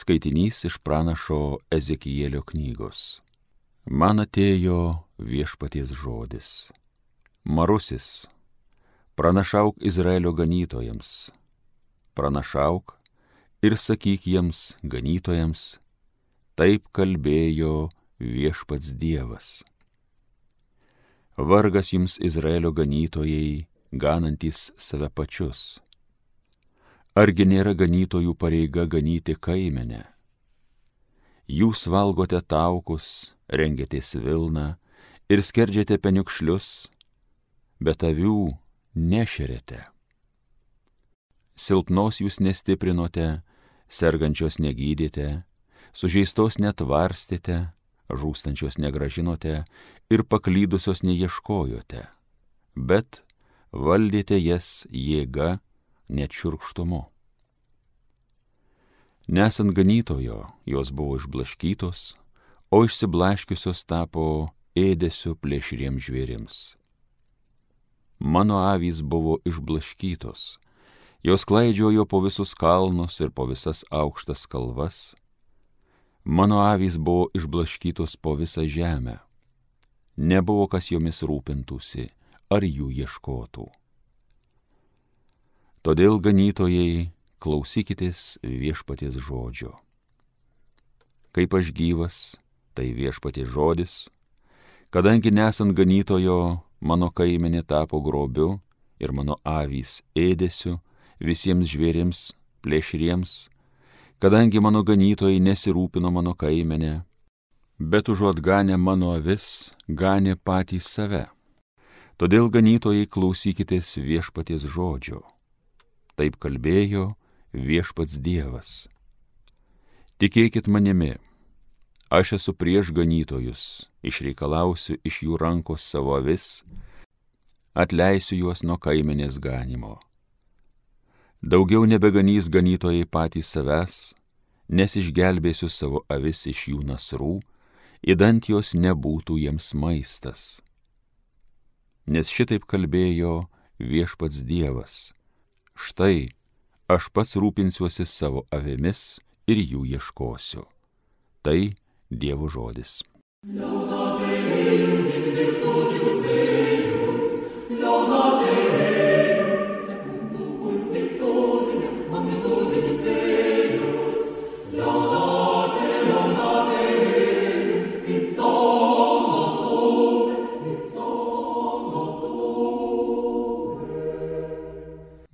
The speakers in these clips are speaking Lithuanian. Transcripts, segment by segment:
Skaitinys iš pranašo Ezekielio knygos. Man atėjo viešpaties žodis. Marusis, pranašauk Izraelio ganytojams, pranašauk ir sakyk jiems ganytojams, taip kalbėjo viešpats Dievas. Vargas jums Izraelio ganytojai, ganantys save pačius. Argi nėra ganytojų pareiga ganyti kaimenę? Jūs valgote taukus, rengiatės vilną ir skerdžiate peniukšlius, bet avių nešeriate. Silpnos jūs nestiprinote, sergančios negydėte, sužeistos netvarstėte, žūstančios negražinote ir paklydusios neieškojote, bet valdėte jas jėga, net šiurkštumu. Nesant ganytojo, jos buvo išblaškytos, o išsiblaškiusios tapo ėdesiu plėšriems žvėrims. Mano avys buvo išblaškytos, jos klaidžiojo po visus kalnus ir po visas aukštas kalvas. Mano avys buvo išblaškytos po visą žemę. Nebuvo kas jomis rūpintųsi ar jų ieškotų. Todėl ganytojai, klausykitės viešpaties žodžio. Kaip aš gyvas, tai viešpaties žodis, kadangi nesant ganytojo, mano kaimenė tapo grobiu ir mano avys ėdesiu visiems žvėrims, plėšriems, kadangi mano ganytojai nesirūpino mano kaimenę, bet užuot ganę mano avis, ganė patys save. Todėl ganytojai, klausykitės viešpaties žodžio. Taip kalbėjo viešpats Dievas. Tikėkit manimi, aš esu prieš ganytojus, išreikalausiu iš jų rankos savo avis, atleisiu juos nuo kaimenės ganimo. Daugiau nebeganys ganytojai patys savęs, nes išgelbėsiu savo avis iš jų nasrų, idant jos nebūtų jiems maistas. Nes šitaip kalbėjo viešpats Dievas. Štai, aš pats rūpinsiuosi savo avimis ir jų ieškosiu. Tai Dievo žodis.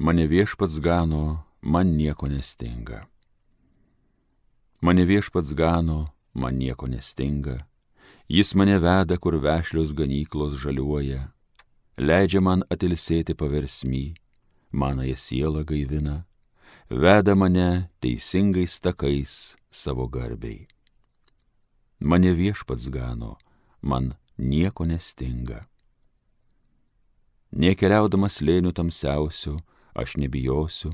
Mane viešpats gano, man nieko nestinga. Mane viešpats gano, man nieko nestinga. Jis mane veda, kur vešlios ganyklos žaliuoja. Leidžia man atilsėti paversmy, manąją sielą gaivina. Veda mane teisingais takais savo garbei. Mane viešpats gano, man nieko nestinga. Nekeliaudamas slėnių tamsiausių, aš nebijosiu,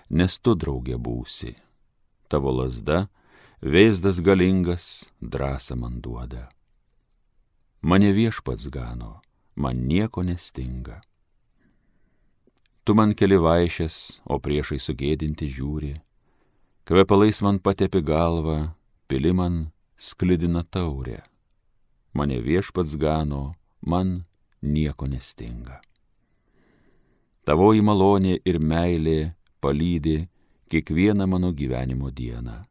nes tu draugė būsi. Tavo lazda, vėzdas galingas, drąsą man duoda. Mane viešpats gano, man nieko nestinga. Tu man keli vaišes, o priešai sugėdinti žiūri. Kvepalais man patepi galvą, pili man sklidina taurę. Mane viešpats gano, man nieko nestinga. Tavoji malonė ir meilė palydi kiekvieną mano gyvenimo dieną.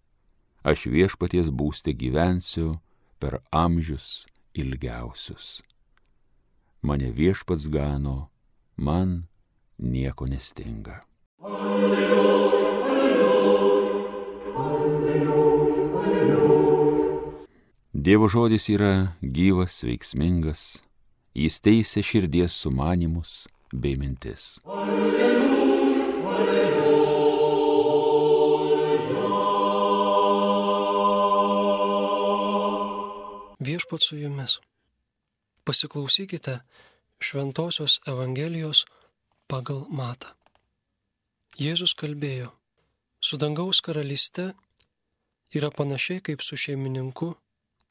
Aš viešpaties būste gyvensiu per amžius ilgiausius. Mane viešpats gano, man nieko nestinga. Alleluja, alleluja, alleluja, alleluja. Dievo žodis yra gyvas, veiksmingas, jis teisia širdies sumanymus bei mintis. Alleluja, alleluja. Viešpats su jumis. Pasiklausykite Šventosios Evangelijos pagal Matą. Jėzus kalbėjo, su dangaus karalyste yra panašiai kaip su šeimininku,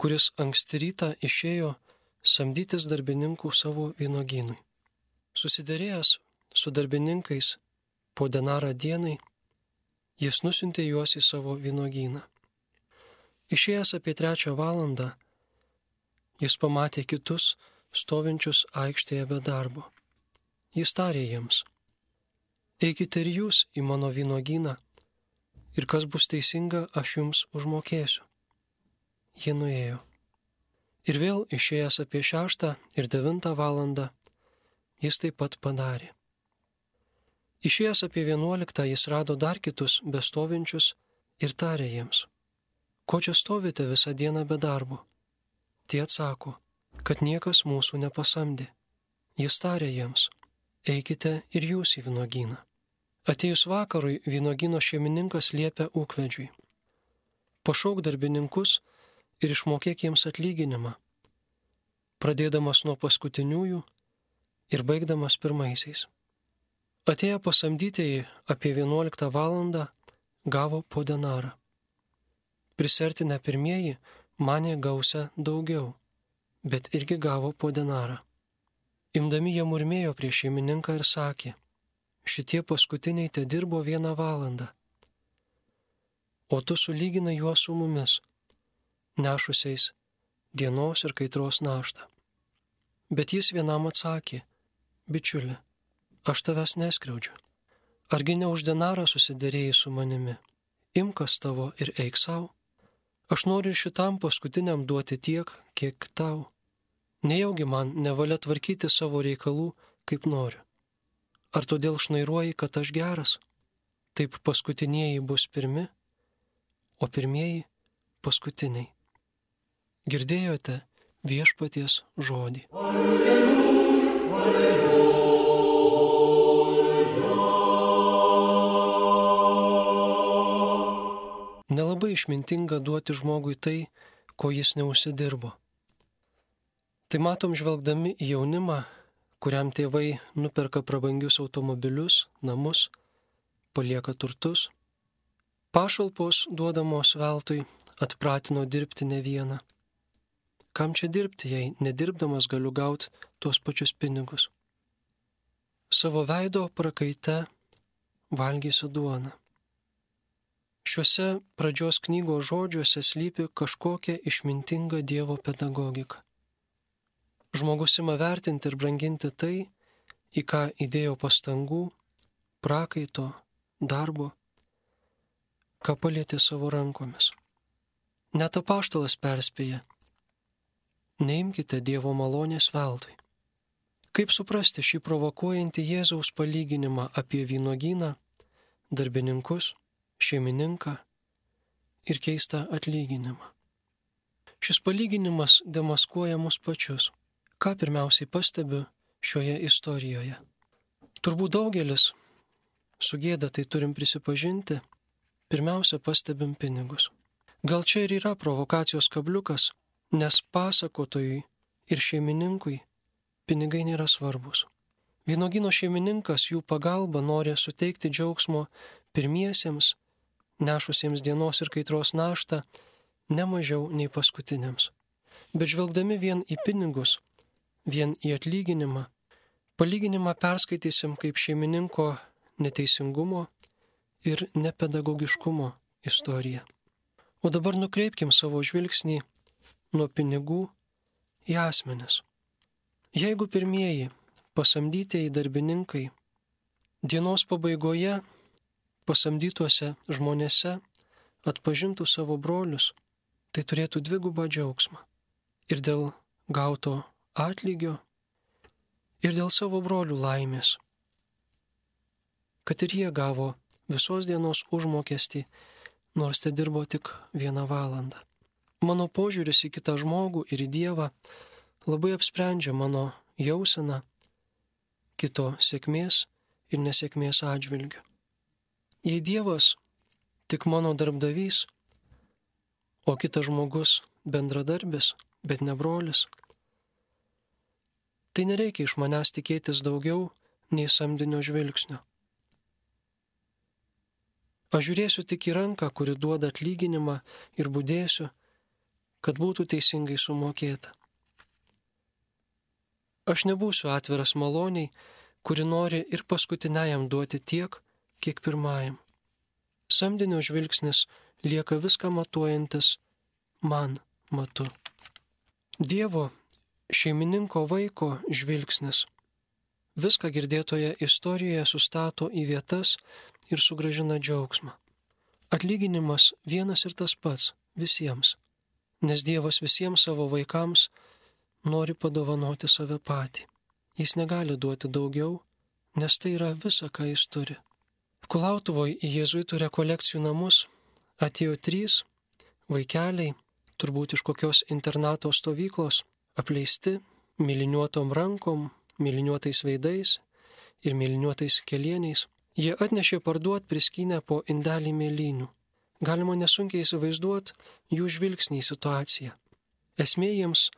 kuris anksti rytą išėjo samdytis darbininkų savo vynuogynui. Susiderėjęs su darbininkais po denarą dienai, jis nusiuntė juos į savo vynuogyną. Išėjęs apie 3 valandą, jis pamatė kitus stovinčius aikštėje be darbo. Jis tarė jiems: eikite ir jūs į mano vynuogyną, ir kas bus teisinga, aš jums užmokėsiu. Jie nuėjo. Ir vėl išėjęs apie 6 ir 9 valandą, jis taip pat padarė. Išėjęs apie 11 jis rado dar kitus bestovinčius ir tarė jiems: ko čia stovite visą dieną be darbo? Tie atsako, kad niekas mūsų nepasamdė. Jis tarė jiems: eikite ir jūs į vynuogyną. Atėjus vakarui vynuogyno šeimininkas liepė ūkvedžiui: pašauk darbininkus ir išmokėk jiems atlyginimą, pradėdamas nuo paskutiniųjų ir baigdamas pirmaisiais. Atėję pasamdytieji apie 11 valandą gavo po denarą. Prisertinę pirmieji manė gausią daugiau, bet irgi gavo po denarą. Imdami jie murmėjo prieš šeimininką ir sakė: šitie paskutiniai te dirbo 1 valandą, o tu sulyginai juos su mumis, nešusiais dienos ir kaitros naštą. Bet jis vienam atsakė: bičiuli, aš tavęs neskriaudžiu. Argi ne už denarą susiderėjai su manimi? Imkas tavo ir eik savo. Aš noriu ir šitam paskutiniam duoti tiek, kiek tau. Nejaugi man nevalia tvarkyti savo reikalų, kaip noriu. Ar todėl šnairuoji, kad aš geras? Taip paskutinieji bus pirmi, o pirmieji paskutiniai. Girdėjote viešpaties žodį. Alleluja, alleluja. Nelabai išmintinga duoti žmogui tai, ko jis neužsidirbo. Tai matom žvelgdami į jaunimą, kuriam tėvai nuperka prabangius automobilius, namus, palieka turtus. Pašalpos duodamos veltui atpratino dirbti ne vieną. Kam čia dirbti, jei nedirbdamas galiu gauti tuos pačius pinigus? Savo veido prakaite valgysiu duoną. Šiuose pradžios knygos žodžiuose slypi kažkokia išmintinga Dievo pedagogika. Žmogus ima vertinti ir branginti tai, į ką įdėjo pastangų, prakaito, darbo, ką palietė savo rankomis. Net apaštalas perspėja: neimkite Dievo malonės veltui. Kaip suprasti šį provokuojantį Jėzaus palyginimą apie vynuogyną, darbininkus, šeimininką ir keistą atlyginimą? Šis palyginimas demaskuoja mus pačius. Ką pirmiausiai pastebiu šioje istorijoje? Turbūt daugelis, su gėda tai turim prisipažinti, pirmiausia pastebim pinigus. Gal čia ir yra provokacijos kabliukas, nes pasakotojui ir šeimininkui pinigai nėra svarbus. Vynuogyno šeimininkas jų pagalba nori suteikti džiaugsmo pirmiesiems, nešusiems dienos ir kaitros naštą, ne mažiau nei paskutiniams. Bet žvelgdami vien į pinigus, vien į atlyginimą, palyginimą perskaitysim kaip šeimininko neteisingumo ir nepedagogiškumo istoriją. O dabar nukreipkim savo žvilgsnį nuo pinigų į asmenis. Jeigu pirmieji pasamdytieji darbininkai dienos pabaigoje pasamdytuose žmonėse atpažintų savo brolius, tai turėtų dvigubą džiaugsmą. Ir dėl gauto atlygio, ir dėl savo brolių laimės. Kad ir jie gavo visos dienos užmokestį, nors te dirbo tik 1 valandą. Mano požiūris į kitą žmogų ir į Dievą labai apsprendžia mano jauseną kito sėkmės ir nesėkmės atžvilgiu. Jei Dievas tik mano darbdavys, o kitas žmogus bendradarbis, bet ne brolis, tai nereikia iš manęs tikėtis daugiau nei samdinio žvilgsnio. Aš žiūrėsiu tik į ranką, kuri duoda atlyginimą, ir budėsiu, kad būtų teisingai sumokėta. Aš nebūsiu atviras maloniai, kuri nori ir paskutiniajam duoti tiek, kiek pirmajam. Samdinio žvilgsnis lieka viską matuojantis man matu. Dievo šeimininko vaiko žvilgsnis viską girdėtoje istorijoje sustato į vietas ir sugrąžina džiaugsmą. Atlyginimas vienas ir tas pats visiems, nes Dievas visiems savo vaikams nori padovanoti save patį. Jis negali duoti daugiau, nes tai yra visa, ką jis turi. Kulautuvoje į jėzuitų rekolekcijų namus atėjo 3 vaikeliai, turbūt iš kokios internato stovyklos, apleisti, myliniuotom rankom, myliniuotais veidais ir myliniuotais kelieniais. Jie atnešė parduot priskynę po indelį mėlynių. Galima nesunkiai įsivaizduoti jų žvilgsnį į situaciją. Esmė jiems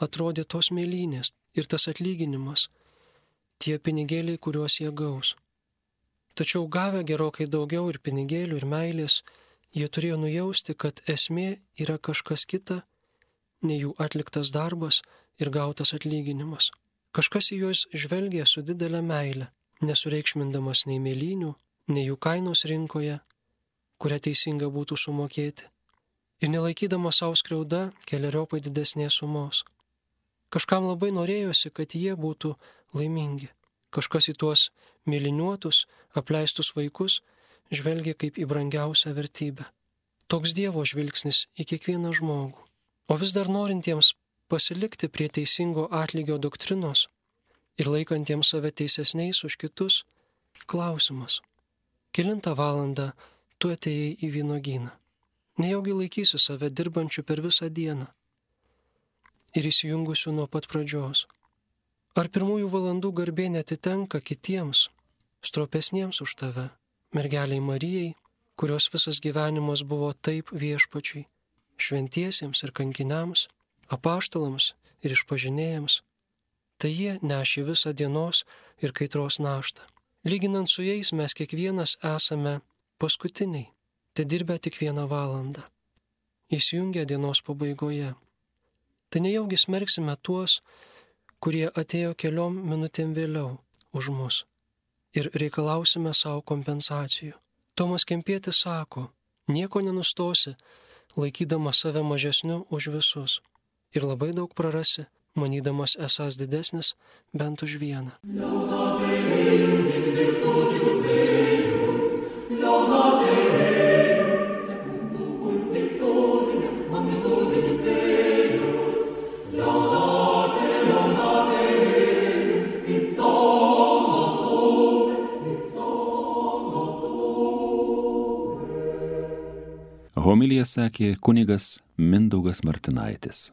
atrodė tos mėlynės ir tas atlyginimas, tie pinigėliai, kuriuos jie gaus. Tačiau gavę gerokai daugiau ir pinigėlių, ir meilės, jie turėjo nujausti, kad esmė yra kažkas kita, nei jų atliktas darbas ir gautas atlyginimas. Kažkas į juos žvelgė su didelė meile, nesureikšmindamas nei mėlynių, nei jų kainos rinkoje, kurią teisinga būtų sumokėti, ir nelaikydamas savo skriauda keleriopai didesnės sumos. Kažkam labai norėjosi, kad jie būtų laimingi. Kažkas į tuos myliniuotus, apleistus vaikus žvelgia kaip į brangiausią vertybę. Toks Dievo žvilgsnis į kiekvieną žmogų. O vis dar norintiems pasilikti prie teisingo atlygio doktrinos ir laikantiems save teisesniais už kitus, klausimas: kelintą valandą tu atėjai į vynuogyną? Nejaugi laikysi save dirbančių per visą dieną ir įsijungusių nuo pat pradžios? Ar pirmųjų valandų garbė netitenka kitiems, stropesniems už tave, mergeliai Marijai, kurios visas gyvenimas buvo taip viešpačiui, šventiesiems ir kankiniams, apaštalams ir išpažinėjams? Tai jie nešė visą dienos ir kaitros naštą. Lyginant su jais mes kiekvienas esame paskutiniai, te dirbę tik 1 valandą, įsijungę dienos pabaigoje. Tai nejaugi smerksime tuos, kurie atėjo keliom minutėm vėliau už mus ir reikalausime savo kompensacijų. Tomas Kempietis sako: nieko nenustosi, laikydamas save mažesniu už visus, ir labai daug prarasi, manydamas esąs didesnis bent už vieną. Homiliją sakė kunigas Mindaugas Martinaitis.